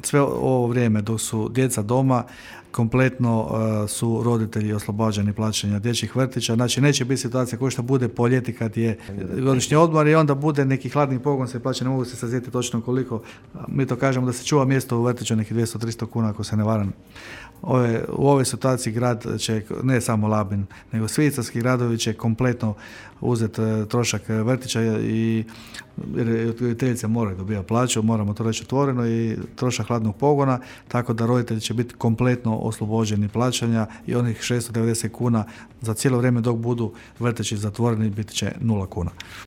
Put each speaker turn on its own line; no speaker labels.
sve ovo vrijeme dok su djeca doma, kompletno su roditelji oslobađani plaćanja dječjih vrtića. Znači neće biti situacija kao što bude po ljeti kad je godišnji odmor i onda bude neki hladni pogon se plaća, ne mogu se sazijeti točno koliko. Mi to kažemo da se čuva mjesto u vrtiću nekih 200-300 kuna ako se ne varam. U ovoj situaciji grad će, ne samo Labin, nego svi istarski gradovi će kompletno uzeti trošak vrtića i roditeljice moraju dobivati plaću, moramo to reći otvoreno, i trošak hladnog pogona, tako da roditelji će biti kompletno oslobođeni plaćanja i onih 690 kuna za cijelo vrijeme dok budu vrtići zatvoreni biti će 0 kuna.